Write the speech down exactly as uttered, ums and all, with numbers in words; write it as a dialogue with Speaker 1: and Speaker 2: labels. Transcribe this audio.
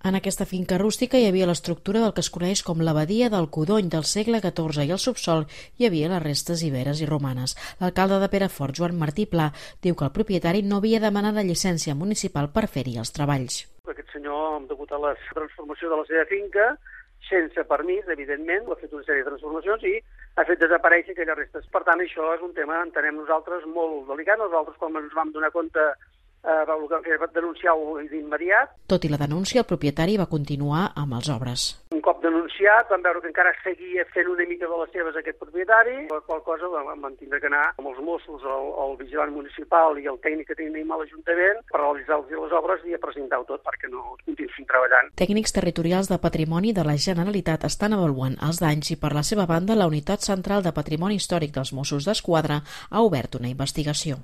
Speaker 1: En aquesta finca rústica hi havia l'estructura del que es coneix com l'abadia del Codony del segle catorze i al subsol hi havia les restes iberes i romanes. L'alcalde de Perafort, Joan Martí Pla, diu que el propietari no havia demanat la llicència municipal per fer-hi els treballs.
Speaker 2: Aquest senyor, degut a la transformació de la seva finca, sense permís, evidentment, ha fet una sèrie de transformacions i ha fet desaparèixer aquelles restes. Per tant, això és un tema, entenem nosaltres, molt delicat. Nosaltres, quan ens vam donar compte, eh, el que vam fer va denunciar-ho d'immediat.
Speaker 1: Tot i la denúncia, el propietari va continuar amb les obres.
Speaker 2: Un cop denunciat, vam veure que encara seguia fent una mica de les seves aquest propietari, per qual cosa vam tindre que anar amb els Mossos, el, el vigilant municipal i el tècnic que tenim a l'Ajuntament per realitzar les obres i a presentar-ho tot perquè no continuïssin treballant.
Speaker 1: Tècnics territorials de Patrimoni de la Generalitat estan avaluant els danys i, per la seva banda, la Unitat Central de Patrimoni Històric dels Mossos d'Esquadra ha obert una investigació.